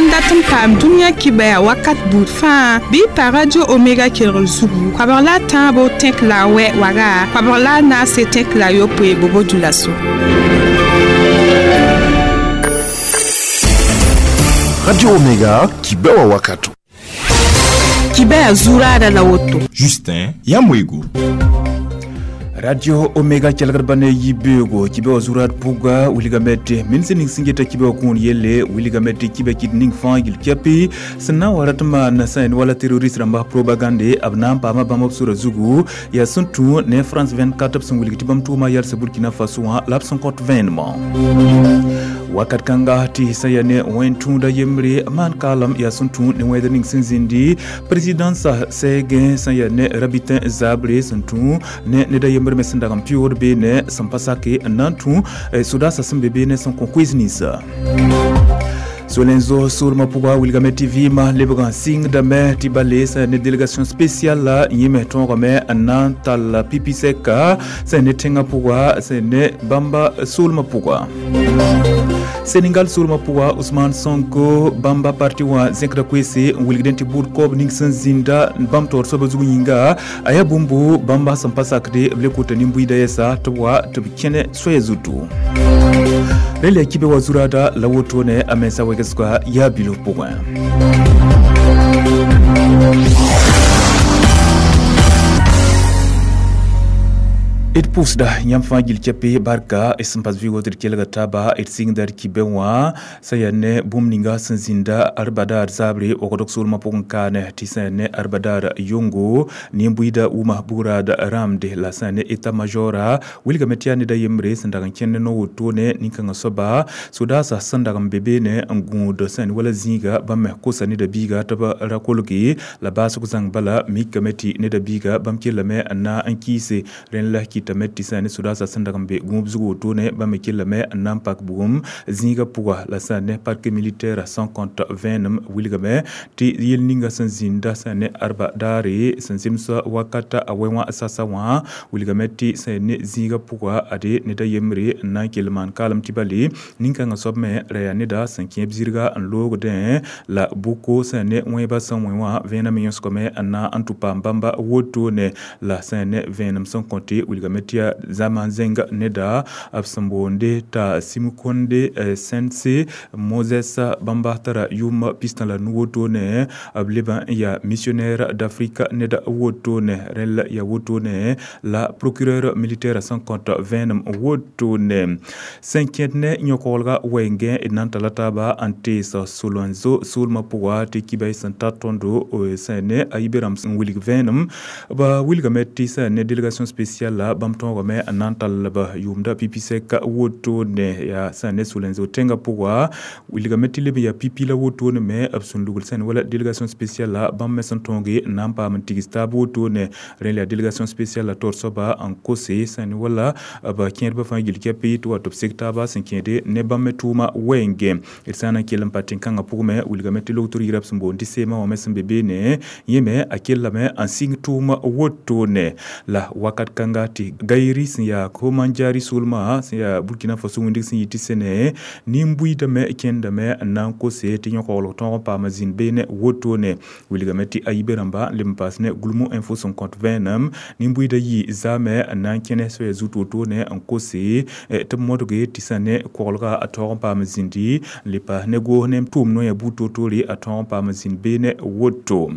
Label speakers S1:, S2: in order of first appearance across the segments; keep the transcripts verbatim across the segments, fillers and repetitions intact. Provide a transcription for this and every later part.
S1: sã n dat n paam dũniyã kibɛa wakat buud fãa bɩ y pa Radio Omega kelgr zugu koabg la a tãabo tẽk la a wɛ waga koabg la a naase tẽk la a yopoe bobo dulaso.
S2: Radio Omega kibɛwa wakato.
S1: Kibɛa zuraada la woto.
S3: Justin Yamwego.
S4: Radio Omega kelgr bane yibego kibe zurat puga wilgamete min sẽn ning sẽn geta kibe kũun yelle wilgamete kibe kit ning fãa gil kepi sẽn na n wa rat n maan sẽn wala terroriste rãmba propagande b na n paama bãmb b sora zugu yaa sẽn tũ ne France vingt-quatre b sẽn wilg tɩ bãmb tʋʋma yalsa Burkina Faso wã la b sẽn kõt vẽenemã wakat kãnga tɩ sẽn yaa ne wẽn-tũuda yembre maan kaalem yaa sẽn tũ ne wẽedr ning sẽn zĩndi présidence sɛɛgẽ sẽn yaa ne rabitin zabre sẽn tũ ne ned a yembre me sẽn dag n pɩʋʋd beene sẽn pa sake n na n tũ sodaasã sẽn be beene sẽn kõ koees ninsa Solenzo soolmã pʋga wilgame tɩ vɩɩmã lebg n sɩngdame tɩ ba le sẽn ne délégation spéciale la yẽ me tõogame n na n tall pipi sɛka sẽn ne tẽngã pʋga sẽn ne bãmba soolmã pʋga Sénégal soolmã pʋga Ousmane Sonko bãmba parti wã zẽkda koeese n wilgdẽ tɩ buud koab ning sẽn zĩnda bãmb taoor soabã zug yĩnga a yaa bũmbu bãmba sẽn pa sakde b le kota nin-buiida yɛsa tɩ b wa tɩ b kẽne soaya zutu rel yaa kibe wa zuraada la wotone a mensa wegsga yaa bilf pʋgẽ. D pʋʋsda yãmb fãa gil kɛpe barka d sẽn pas vɩɩg tɩ d kelga taaba d sɩngda d kibẽ wã sã yaa ne bũmb ninga sẽn zĩnda arbadaar zaabre wagdg soolmã pʋgẽ kaane tɩ sã yaa ne arbadaar yongo nin-buiida wʋma bugraad rãamde la sã yaa ne état majora wilgame tɩ yaa ned a yembre sẽn dag n kẽnd ne wotone nin-kãngã soaba sodaasã sẽn dag n be beene n gũud sã yaa ne wala zĩiga bãmb me kosa neda biiga tɩ b ra kolge la baasg zãng bala mikame tɩ neda biiga bãmb kellame n na n kɩɩse rẽnd la kɩtame tɩ sã ne sodaasã sẽn dag n be gũub zug wotone bãmb me kellame n na n pak bugum zĩigã pʋga la sã ne parc militaire sẽn kõt vẽenem wilgame tɩ yel ninga sẽn zĩnda sã ne arba daare sẽn zemsa wakata a wɛ wã sasa wã wilgame tɩ sã ne zĩigã pʋga ade ned a yembre n na n kell maan kaalem tɩ bale nin-kãngã soab me ra yaa neda sẽn kẽeb zirga n loogdẽ la bʋko sã ne wẽebã sẽn wẽ wã vẽenam yõsgame n na n tʋ paam bãmba wotone la sã ne vẽenem sẽn kõte wilgame tɩ yaa zãma zẽng neda b sẽn boonde t'a Simkonde Sense Moses bãmba tara yʋʋm pistã la nu wotone b leb n yaa missionnaire d'Afrique ned wotone rẽnd yaa wotone la procureur militaire sẽn kõt vẽenem wotone sẽn kẽd ne yõ-koglga wɛɛngẽ d na n tala taaba n tees Solenzo soolmã pʋga tɩ kibay sẽn tar tõndo sẽn ne a yibe rãmb n wilg vẽenem ba wilgame tɩ sẽn ne délégation spéciale la bãmb tõogame n na n tall b yʋʋmda pipi sɛka wotone yaa sẽn ne Solenzo tẽngã pʋga wilgame tɩ leb n yaa pipi la wotone me b sẽn lugl sẽn wala délégation spéciale la bãmb me sẽn tõoge n na n paam n tigs taab wotone rẽnd la délégation spéciale la taoor soaba n kose sẽn wala b kẽedbã fãa gil kɛpɩ tɩ wa tɩ b sek taaba sẽn kẽede ne bãmb me tʋʋma wɛɛngẽ d sã n na n kell n pa tẽn-kãngã pʋgẽ me wilgame tɩ logtr yirã b sẽn boond tɩ seemã wã me sẽn be beene yẽ me a kellame n sɩng tʋʋma wotone la wakat kãnga tɩ Gayri sẽn yaa Komanjari soolmã sẽn yaa Burkina Faso wĩndg sẽn yɩ tɩ sẽne nin-buiidame kẽndame n na n kose tɩ yõ-koglg tõog n paama zĩnd beene wotone wilgame tɩ a yibe rãmba n leb n paas ne Gulmu Info sẽn kõt vẽenem nin-buiidã yɩ zaame n na n kẽne soaya zut wotone n kose tɩ b modge tɩ sã ne koglga a tõog n paam zĩndi n le paas ne goos ne tʋʋm noyã buud toor-toore a tõog n paam zĩnd beene woto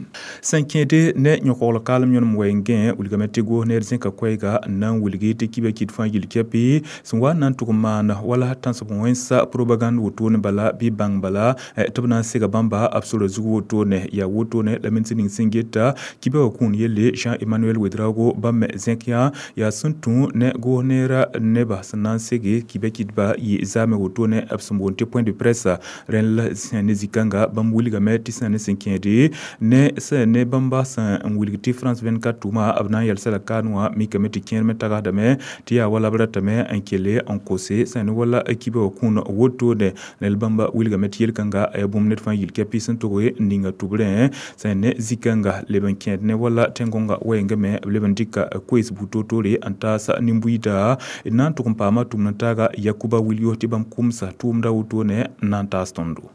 S4: sẽn kẽede ne yõ-koglg kaalem yõnem wɛɛngẽ wilgame tɩ goos neer zẽka koɛɛga n na n wilgi tɩ kibã kɩt fãa gil kɛpɩ sẽn wa n na n tʋg n maan wala tãnsb wẽnsa propagande wotone bala bɩ bãng bala tɩ b na n sega bãmba b sora zug wotone yaa wotone la men sẽn ning sẽn geta kibã wã kũun yelle Jean Emmanuel Ouedraogo bãmb me zẽk yã yaa sẽn tũ ne goos neerã nebã sẽn na n sege kibã kɩtba yɩ zaame wotone b sẽn boond tɩ point de presse rẽnd la sẽn ne zĩ-kãnga bãmb wilgame tɩ sẽn ne sẽn kẽede ne sẽn ne bãmba sẽn n wilg tɩ France vingt-quatre tʋʋma b na n yɛlsa la kaan wã mikame tɩ kẽer me tagsdame tɩ yaa wala b ratame n kele n kose sẽn ne wala kibã wã kũun wotone nel bãmba wilgame tɩ yel-kãnga a yaa bũmb ned fãa yil kɛpɩ sẽn tʋg n ninga tʋbrẽ sẽn ne zĩ-kãnga leb n kẽed ne wala tẽn-gõnga wɛɛngã me b leb n dɩka koees buud toor-toore n taas nin-buiida d na n tʋg n paama tʋmd n taaga Yakuba Wilyo tɩ bãmb kʋmsa tʋʋmda wotone n na n taas tõndo.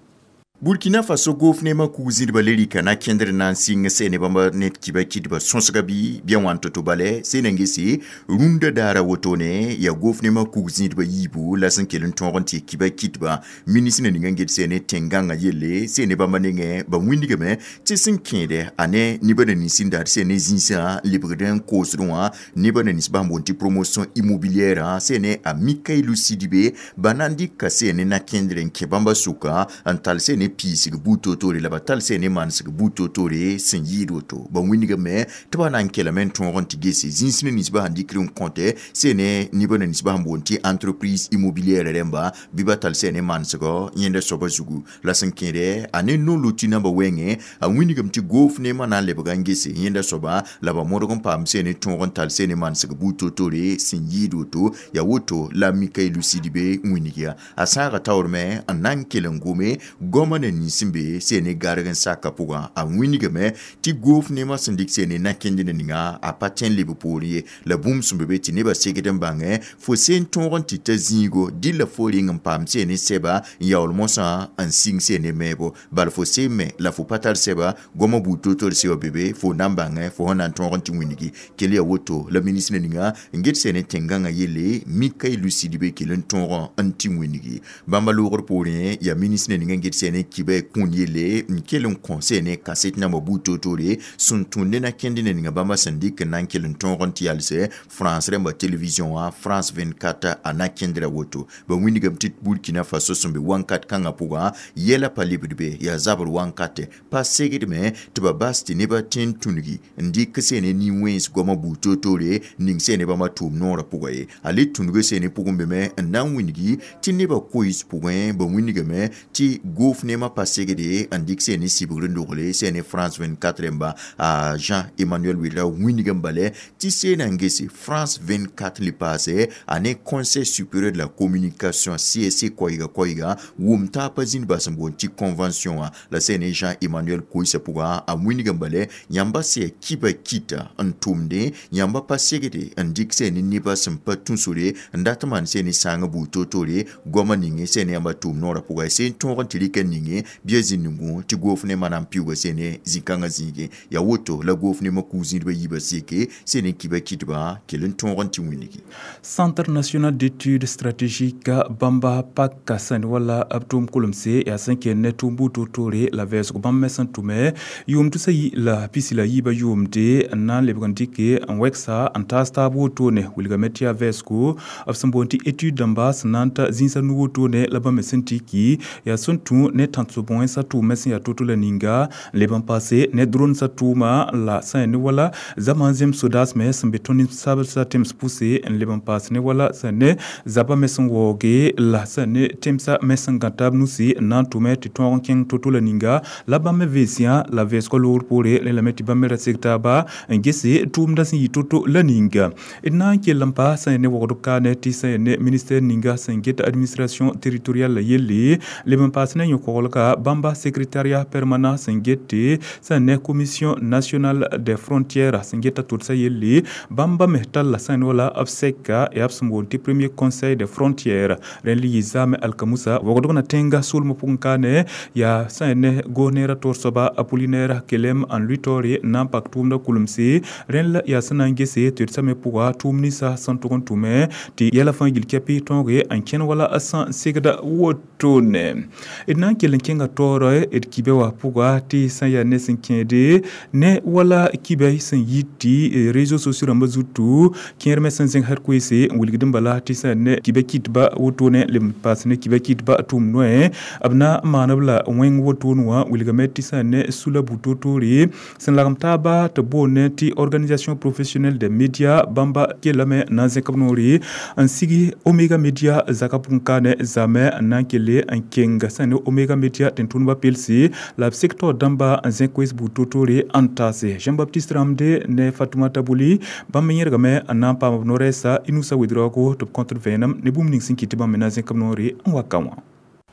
S3: Burkina Faso gofnema kug zĩdba le rɩka na kẽndr na n sɩng sɛ ne bãmba ned kiba kɩdba sõsga bɩ bɩa wãn to-to bale sẽn n gese rũndã daara wotone yaa gofnema kug zĩdba yiibu la sẽn kell n tõog n tɩ kiba kɩdba ministr ning n get sɛ ne tẽn-gãngã yelle sɛ ne bãmba nengẽ ba wĩndgame tɩ sẽn kẽede a ne nebã na nins n dat sɛ ne zĩisã lebgd n koosdẽ wã nebã na nins bãmb boond tɩ promotion immobilière sɛ ne a Mikaïlou Sidibé ba na n dɩka sɛ ne na-kẽndr n kẽ bãmba sʋka n tall sɛ ne piisg buud toor-toore la ba tall sɛ ne manesg buud toor-toore sẽn yɩɩd woto ba wĩndgame tɩ ba na n kelame n tõog n tɩ gese zĩis ne ninsbã sẽn dɩkr n kõte sɛ ne nebã na ninsbã sẽn boond tɩ entreprise immobilière rẽmba bɩ ba tall sɛ ne manesgɔ yẽnda soabã zugu la sẽn kẽede a ne no-loti namba wɛngẽ a wĩndgame tɩ goof neemã na n lebga n gese yẽnda soaba la ba modg n paam sɛ ne tõog n tall sɛ ne manesg buud toor-toore sẽn yɩɩd woto yaa woto la Mikaïlou Sidibé wĩndg ya a sãaga taoorme n na n kell n gome goamã na nins n be sɛ ne garg n saka pʋgã a wĩndgame tɩ goof neemã sẽn dɩk sɛ ne na-kẽnd ninga a pa tẽ n leb poorẽ ye la bũmb sẽn be be tɩ nebã segd n bãngẽ fo seen tõog n tɩ ta zĩigo dɩlla fo reng n paam sɛ ne sɛba n yaool mosã n sɩng sɛ ne meebo bala fo seen me la fo pa tar sɛba goamã buud toor-toor sɛ wã be be fo na n bãngẽ fo sẽn na n tõog n tɩ wĩndgi kell yaa woto la ministr ninga n get sɛ ne tẽn-gãngã yelle Mikaïlou Sidibé kell n tõog n tɩ wĩndgi bãmba loogr poorẽ yaa ministr ninga n get sɛ ne kiba kũun yelle n kell n kõ sɛ ne kaset namba buud toor-toore sẽn tũud ne na-kẽnd ne ninga bãmba sẽn dɩk n na n kell n tõog n tɩ yalsɛ France rẽmba télévision wã France vingt-quatre a na-kẽndra woto ba wĩndgame tɩ Burkina Faso sẽn be wãnkat kãngã pʋgã yɛla pa lebd be yaa zabr wãnkate pa segdme tɩ ba bas tɩ nebã tẽ n tũngi n dɩk sɛ ne nin-wẽns goamã buud toor-toore ning sɛ ne bãmba tʋʋm noorã pʋgã ye a le tũnugã sɛ ne pʋgẽ beme n na n wĩndgi tɩ nebã koees pʋgẽ ba wĩndgame tɩ goof neemã pa segde n dɩk sɛ ne sibgr n dogle sɛ ne France vingt-quatre rẽmba a Jean Emmanuel Ouedraogo wĩndg n bale tɩ seena n gese France vingt-quatre le paase a ne Conseil supérieur de la communication C S C koɛɛga koɛɛga wʋm taab zĩnd bas n boond tɩ convention wã la sɛ ne Jean Emmanuel koeesã pʋgã a wĩndg n bale yãmba sɛ kiba kɩta n tʋmdẽ yãmba pa segde n dɩk sɛ ne nebã sẽn pa tũ sore n dat n maan sɛ ne sãangã buud toor-toore goamã ninge sɛ ne yãmba tʋʋm noorã pʋgã seen tõog n tɩ rɩka ninge bɩa zĩnd-n-gũ tɩ goof neemã na n piuuga sɛ ne zĩ-kãngã zĩigẽ yaa woto la goof neemã kug zĩdbã yiibã seke sɛ ne kiba kɩtbã kell n tõog n tɩ wĩndgi.
S4: Centre national d'études stratégiques bãmba paka sẽn wala b tʋʋm kulemse yaa sẽn kell ne tʋʋm buud toor-toore la vɛɛsg bãmb me sẽn tʋme yʋʋm tusa yi la pisi la yiibã yʋʋmde n na n lebg n dɩke n wɛgsa n taas taab wotone wilgame tɩ yaa vɛɛsgo b sẽn boond tɩ étude dãmba sẽn na n ta zĩisã nu wotone la bãmb me sẽn tiki yaa sẽn tũ ne tãn-sob-wẽnsã tʋʋmẽ sẽn yaa to-to la ninga n leb n paase ne drone sã tʋʋma la sã ne wala zama n zems sodaas me sẽn be tõnd sabsã tems pʋse n leb n paas ne wala sã ne zabã me sẽn waooge la sã ne temsã me sẽn gã taab nusi n na n tʋme tɩ tõog n kẽng to-to la ninga la bãmb me veesã la vɛɛsgã loogr poore rẽ lame tɩ bãmb me ra seg taaba n gese tʋʋmdã sẽn yɩ to-to la ninga d na n kell n pa sã ne wogd kaane tɩ sã ne ministère ninga sẽn get administration territoriale la yelle leb n paas ne yõ-koglga bãmba secrétariat permanent sẽn gete sã ne commission nationale des frontières sẽn geta tʋdsa yelle bãmba me talla sã ne wala b sɛka yaa b sẽn boond tɩ premier conseil des frontières rẽnd le yɩ zaame alkamusa wogdg na tẽnga soolmã pʋgẽ kaane yaa sã ne goos-neerã toor soaba Apollinaire Kelem n lʋɩ taoore n na n pak tʋʋmdã kulemse rẽnd la yaa sẽn na n gese tɩ d sã me pʋga tʋʋm ninsã sẽn tʋg n tʋme tɩ yɛla fãa gil kɛpɩ tõoge n kẽn wala sã n segda wotone d na n kell n kẽnga taoore d kibe wã pʋga tɩ sã yaa ne sẽn kẽede ne wala kibɛ sẽn yit tɩ réseaux sociaux rãmbã zutu kẽer me sẽn zẽng had koeese n wilgd n bala tɩ sã ne kibɛ kɩtba wotone leb n paas ne kibɛ kɩtba tʋʋm noɛ b na n maan b la wẽng wotone wã wilgame tɩ sã ne sula bu-toor-toore sẽn lagem taaba tɩ boond tɩ organisation professionnelle des médias bãmba kellame n na n zẽk b noore n sigi Omega Media zaka pʋgẽ kaane zame n na n kelle n keng sã ne Omega Media tẽn-tʋʋdbã pelse la b sek taoor dãmba n zẽk koees buud toor-toore n taase Jean-Baptiste Ramde ne Fatoumata Boli bãmb me yẽrgame n na n paam b no-rɛɛsa Inoussa Ouedraogo tɩ b kõtd vẽenem ne bũmb ning sẽn kɩt tɩ bãmb me na n zẽk b noore n wa ka wã.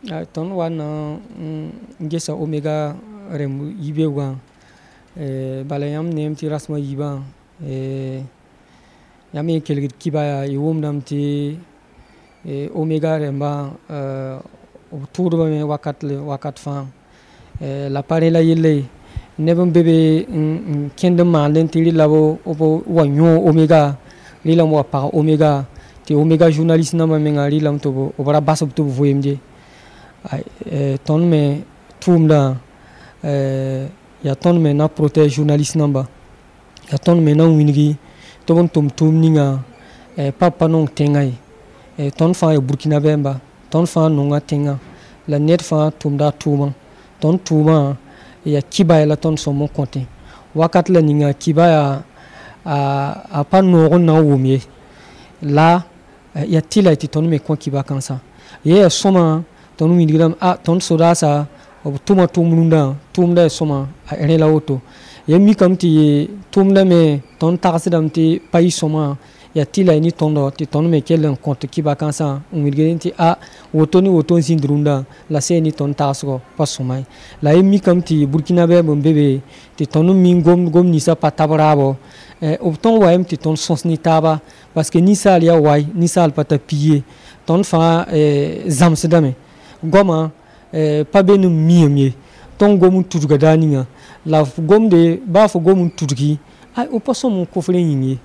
S5: Tõnd wa na n gesa Omega rẽmb yibeoogã bala yãmb neem tɩ rasmã yiibã yãmb yẽ kelgd kiba yaa y wʋmdame tɩ Omega rẽmbã b tʋʋdbame wakat wakat fãa. La pa rẽ la yella ye neb n be be n kẽnd n maandẽ tɩ rɩla b wa yõog Omega rɩlame wa pag Omega tɩ Omega journaliste nambã menga rɩlame tɩ b ra bas-b tɩ b vɩɩmd ye. Tõnd me tʋʋmdã yaa tõnd me na protège journaliste namba, yaa tõnd me na wilgi tɩ b n tʋm tʋʋm ninga pa pa nong tẽngã ye. Tõnd fãa yaa Burkina bɛmba, tõnd fãa nonga tẽngã la ned fãa tʋmda a tʋʋmã. Tõnd tʋʋmã yaa kibaya la tõnd sõm n kõtẽ wakat la ninga kiba yaa a pa noog n na n wʋm ye la yaa tɩla tɩ tõnd me kõ kiba kãnsã. Ye yaa sõma tõnd wilgdame a tõnd sodaasa b tʋma tʋʋm rũndã tʋʋmda yaa sõma a rẽ la woto. Ya mikame tɩ tʋʋmda me tõnd tagsdame tɩ pa yɩ sõma yaa tɩla ne tõndo tɩ tõnd me kell n kõt kiba kãnsã n wilgd tɩ a woto ne woto n zĩnd rũndã la sẽn ne tõnd tagsgɔ pa sõma ye. La y mikame tɩ Burkina bɛmb n be be tɩ tõnd n mi gom gom ninsã pa tab raabo b tõnd wayame tɩ tõnd sõs ne taaba parce que ninsaal yaa wai ninsaal pa tar pi ye. Tõnd fãa zãmsdame goamã pa be ne miame ye. Tõnd gom n tudga daar ninga la f gomde baa fo gom n tudgi ay b pa sõm n kofr yĩng ye,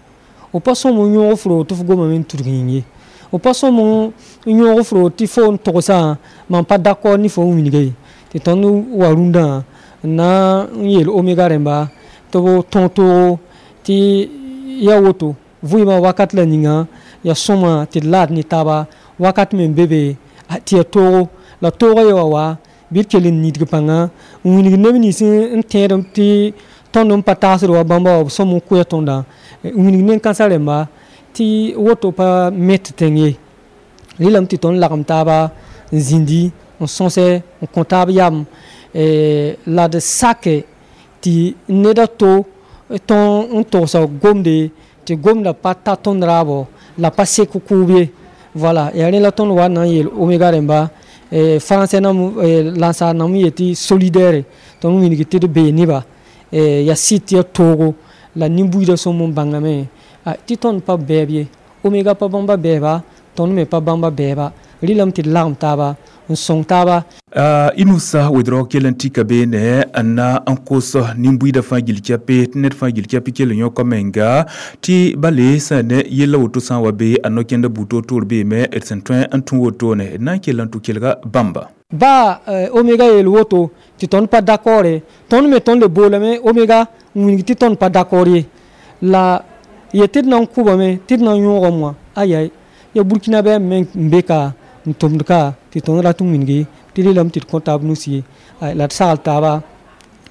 S5: b pa sõm n yõog f roo tɩ f gomame n tudg yĩng ye, b pa sõm n yõog f roo tɩ fo n togsã mam pa d'accord ne fo n wilga ye. Tɩ tõnd wa rũndã n na n yeel Omega rẽmba tɩ b tõog toogo tɩ yaa woto vɩɩmã wakat la ninga yaa sõma tɩ d laad ne taaba wakat me n be be tɩ yaa toogo la toogã ye wa wa bɩ d kell n nidg pãnga n wilg neb nins n tẽedem tɩ tõnd n pa tagsd wa bãmba wa b sõm n koɛɛ tõndã n wilg nen-kãnsã rẽmba tɩ woto pa met tẽng ye. Rɩlame tɩ tõnd lagem taaba n zĩndi n sõsɛ n kõ taab yam la d sake tɩ ned a to tõnd n togsa gomde tɩ gomda pa ta tõnd raabo la pa sek kʋʋb ye. Voilà, yaa rẽ la tõnd wa na n yeel Omega rẽmba français nam lansaar nam n yetɩ solidaire tõnd wilg tɩ d bee neba yaa sɩd tɩ yaa toogo la nin-buiidã sõm n bãngame tɩ tõnd pa bɛɛb ye. Omega pa bãmba bɛɛba, tõnd me pa bãmba bɛɛba. Rɩlame tɩ d lagem taaba n sõng taaba.
S4: Inusa Ouedraogo kell n tika beene n na n kos nin-buiidã fãa gill kɛpe tɩ ned fãa gill kɛp kell n yõka menga tɩ bale sã ne yella woto sã n wa be a no-kẽndã buud toor-toor beeme d sẽn tõe n tũ wotone d na n kell n tʋ kelga bãmba.
S5: Baa Omega yeel woto tɩ tõnd pa d'accord ye, tõnd me tõnd le boolame Omega n wilg tɩ tõnd pa d'accord ye. La ye tɩ d na n kʋbame tɩ d na n yõogame wã ayai yaa Burkina bɛmb me n be ka n tʋmd ka tɩ tõnd rat n wilgi tɩ rɩlame tɩ d kõ taab nusi ye la d sagl taaba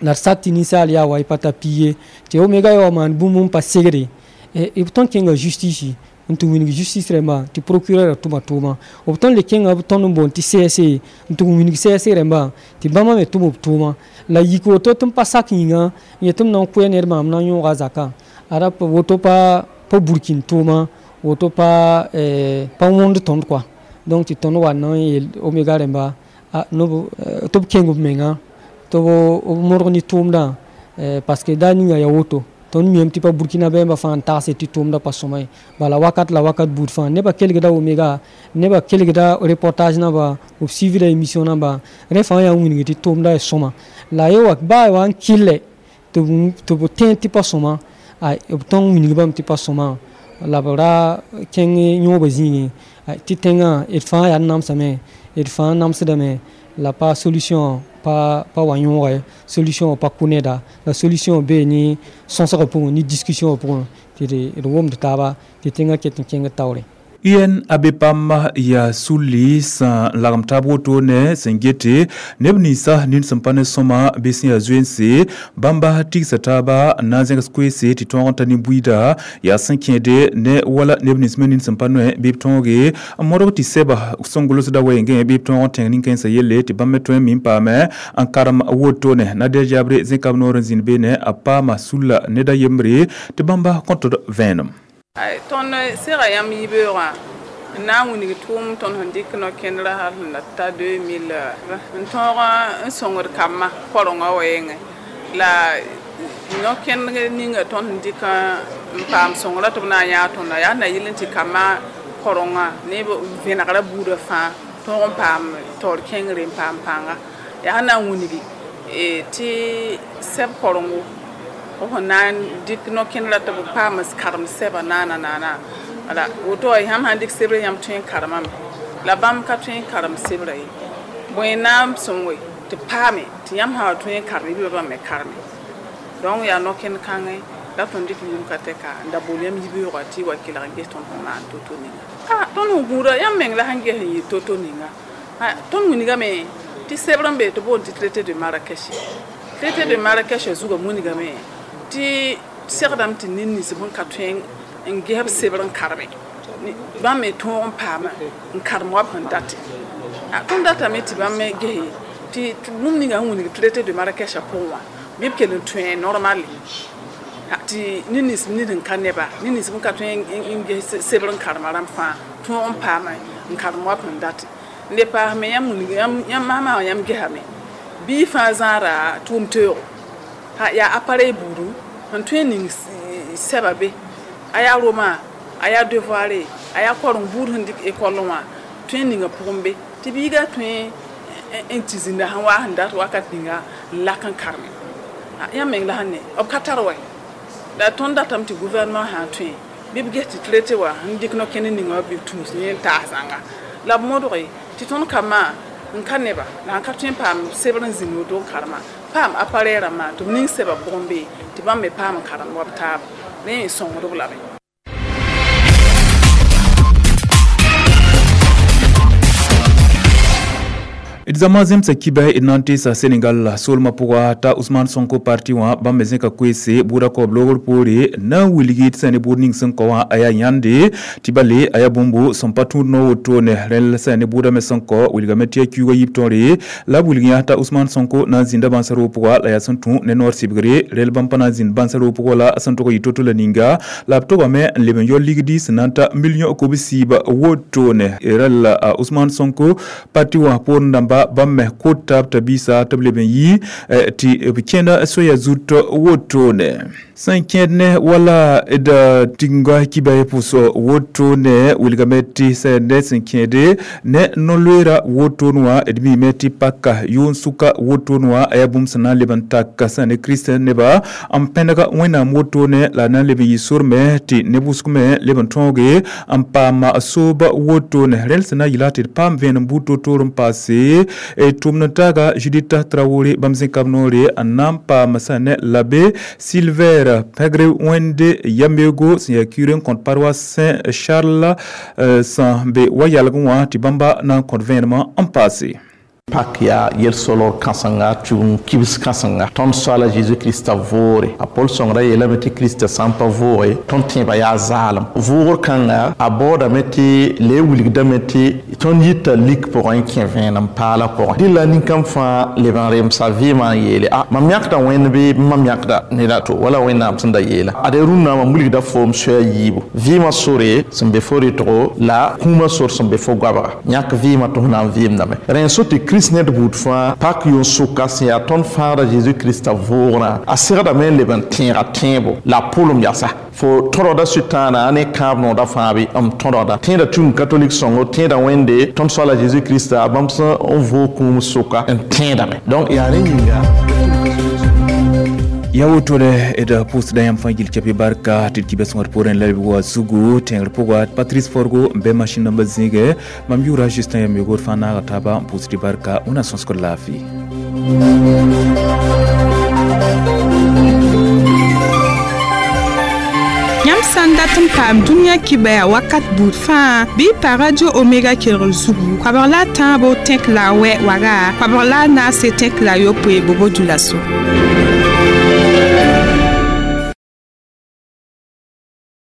S5: la d sak tɩ ninsaal yaa wa y pa tar pi ye tɩ Omega ya wa maan bũmb n pa segre b tõnd kẽnga justice n tɩ wilg justice rẽmba tɩ procureur tʋma tʋʋma. B tõnd le kẽnga b tõnd n boond tɩ C S C n tɩ wilg C S C rẽmba tɩ bãmba me tʋm b tʋʋma. La yik woto tɩ n pa sak yĩnga n yet tɩ m na n koɛɛ ned maam na n yõoga a zakã ada woto pa pa burkin tʋʋma woto pa pa wõnd tõnd kɔa. Donc tɩ tõnd wa na n yeel Omega rẽmba tɩ b kẽng b menga tɩ b modg ne tʋʋmdã parce que daar ninga yaa woto tõnd miame tɩ pa Burkina bɛmba fãa n tagse tɩ tʋʋmdã pa sõma ye. Bala wakat la wakat buud fãa nebã kelgda Omega nebã kelgda reportage namba b suivda émission namba rẽ fãa yaa n wilg tɩ tʋʋmdã yaa sõma. La ye wa baa wa n kɩllɛ tɩ b tẽed tɩ pa sõma b tõnd wilg bãmb tɩ pa sõma la b ra kẽng yõobã zĩigẽ tɩ tẽngã d fãa yaa namsame d fãa namsdame la pa solution pa pa wa yõoge solution pa kʋ neda la solution bee ne sõsgã pʋgẽ ne discussion pʋgẽ tɩ d wʋmd taaba tɩ tẽngã ket n kẽng taoore.
S4: U N abe pam yaa sulli sẽn lagem taab wotone sẽn gete neb ninsã nin sẽn pa ne sõma bɩ sẽn yaa zoense bãmba tigsa taaba n na n zẽgs koeese tɩ tõog n ta nin-buiida yaa sẽn kẽede ne wala neb nins me nin sẽn pa noe bɩ b tõoge n modg tɩ sɛba sẽn gʋlsda wɛɛngẽ bɩ b tõog n tẽng nin-kãensã yelle tɩ bãmb me tõe n mi n paame n karem wotone Nadia Jabre zẽka b noor n zĩnd beene a paama sulla ned a yembre tɩ bãmba kõtd vẽenem.
S1: Tõnd sega yãmb yibeoogã n na n wilg tʋʋm tõnd sẽn dɩk no-kẽndrã hal sẽn da ta deux mille n tõog n sõngd kambã korengã wɛɛngẽ la no-kẽnd ninga tõnd sẽn dɩk n paam sõngrã tɩ b na n yãag tõnda yaa na yɩl n tɩ kambã korengã ne vẽnegrã buudã fãa tõog n paam taoor kẽngre n paam pãnga yaa sẽn na n wilgi tɩ sɛb korengo b sẽn na n dɩk no-kẽndrã tɩ b paam karem sɛba naana naana wala woto yãmb sãn dɩk sebrã yãmb tõe n karemame la bãmb ka tõe n karem sebrã ye bõe na n sõnge tɩ paame tɩ yãmb sã wa tõe n karem bɩ bãmb me kareme donc yaa no-kẽnd kãngẽ la tõnd dɩk yʋʋm ka tɛka n da bool yãmb yibeoogã tɩ y wa kelg n ges tõnd sẽn maan to-to ninga a tõnd sẽn gũuda yãmb meng la sẽn ges n yɩ to-to ninga tõnd wilgame tɩ sebr n be tɩ boond tɩ traité de Marrakech traité de Marrakech zugã wilgame tɩ segdame tɩ ned nins sẽn ka tõe n ges b sebr n kareme bãmb me tõog n paama n karem wa b sẽn date tõnd datame tɩ bãmb me gese tɩ bũmb ninga sẽn wilg traité de Marrakech pʋgẽ wã bɩ b kell n tõe normale tɩ ned nins ned n ka neba ned nins sẽn ka tõe n ges sebr n karema rãmb fãa tõog n paama n karem wa b sẽn date n le paasme yãmb yãmb masma wã yãmb gesame bɩ fãa zãada tʋʋm teoogo yaa appareil buudu sẽn tõe n ning sɛba be a yaa roma a yaa devoir a yaa koreng buud sẽn dɩk école wã tõe n ninga pʋgẽ be tɩ biiga tõe n tɩ zĩnda sẽn waa sẽn dat wakat ninga n lak n kareme yãmb meng la sẽn ne b ka tar wɛ la tõnd datame tɩ gouvernement sã n tõe bɩ b ges tɩ traité wã sẽn dɩk no-kẽnd ninga wã bɩ b tũus yẽ n taas zãnga la b modge tɩ tõnd kambã n ka neba la sẽn ka tõe n paam sebr n zĩnd woto n karema paam appareil rãmbã tɩ b ning sɛba pʋgẽ be tɩ bãmb me paam n karem wa b taaba rẽ sõngd-b lame.
S4: D zãma zemsa kiba d na n teesa Senegal soolmã pʋga t'a Ousmane Sonko parti wã bãmb me zẽka koeese bʋʋda kaoob loogr poore na n wilgi tɩ sã ne bʋʋd ning sẽn kao wã a yaa yãnde tɩ bale a yaa bũmbo sẽn pa tũud no wotone rẽl sã ne bʋʋda me sẽn kao wilgame tɩ yaa kiuugã yib tõore la b wilg yã t'a Ousmane Sonko na n zĩnda bãnsa roog pʋga la yaa sẽn tũ ne noor sɩbgre rel bãmb pa na n zĩnd bãnsa roog pʋgã la sẽn tog n yɩ to-to la ninga la b togame n leb n yao ligdi sẽn na n ta million kob-siib wotone rel a Ousmane Sonko parti wã poorẽ dãmba bãmb me kot taab t'a biisa tɩ b leb n yi tɩ b kẽnda soaya zut wotone sẽn kẽed ne wala d tɩnga kiba pʋs wotone wilgame tɩ sã ne sẽn kẽede ne no-loeera wotone wã d miime tɩ paka yʋʋn sʋka wotone wã a yaa bũmb sẽn na n leb n tak sã ne kirist neba n pẽneg wẽnnaam wotone la na n leb n yɩ sor me tɩ neb wʋsg me leb n tõoge n paam soob wotone rẽl sẽn na n yɩla tɩ d paam vẽenem buud to-toor n paase tʋmd n taaga Judith Traoré bãmb zẽka b noore n na n paam sã ne l'abbé Silver Pɛgre Wẽnde Yamego sẽn yaa curé n kõt paroisse Saint Charles sẽn be wa yalgẽ wã tɩ bãmba na n kõt vẽenemã n paase.
S6: Pak yaa yel-solor kãsenga tʋʋm kibs kãsenga tõnd soaala zeezi krista vʋʋre a pol sõngrã yeelame tɩ krista sã n pa vʋʋge tõnd tẽebã yaa zaalem vʋʋgr kãnga a baoodame tɩ le wilgdame tɩ tõnd yita lik pʋgẽ n kẽ vẽenem paala pʋgẽ dɩlla nin-kãmb fãa leb n remsa vɩɩmã n yeele a mam yãkda wẽnd bɩ mam yãkda ned a to wala wẽnnaam sẽn da yeela ad rũnnã mam wilgda foom soa yiibu vɩɩmã sore sẽn be fo rɩtgo la kũumã sor sẽn be fo goabga yãk vɩɩmã tɩ f na n vɩɩmdame rẽ so tɩ Kirist ned buud fãa pak yʋn sʋka sẽn yaa tõnd fãagra zeezi krista vʋʋgrã a segdame n leb n tẽega tẽebo la a pʋlem yasa fo tõdgda sʋtãana ne kãab noodã fãa bɩ m tõdgda tẽeda tũum katolik sõngo tẽeda wẽnde tõnd soaala zeezi krista bãmb sẽn n vʋʋg kũum sʋka n tẽedame donc yaa rẽ yĩnga
S4: ya wotone d pʋʋsda yãmb fãa gil cape barka tɩ d kibã sõngd poorẽ la b wa zugu tẽngr pʋga Patrice Forgo n bɩ machine nambã zĩige mam yʋʋra Justin Yamyogr fãa naaga taaba n pʋʋsd barka wẽnnaam sõsgd laafɩ.
S7: Yãmb sã n dat n paam dũniyã kibaya wakat buud fãa bɩ y pa Radio Omega kelgr zugu koabg la a tãabo tẽk la a wɛ waga koabg la a naase tẽk la a yopoe bobo dulaso.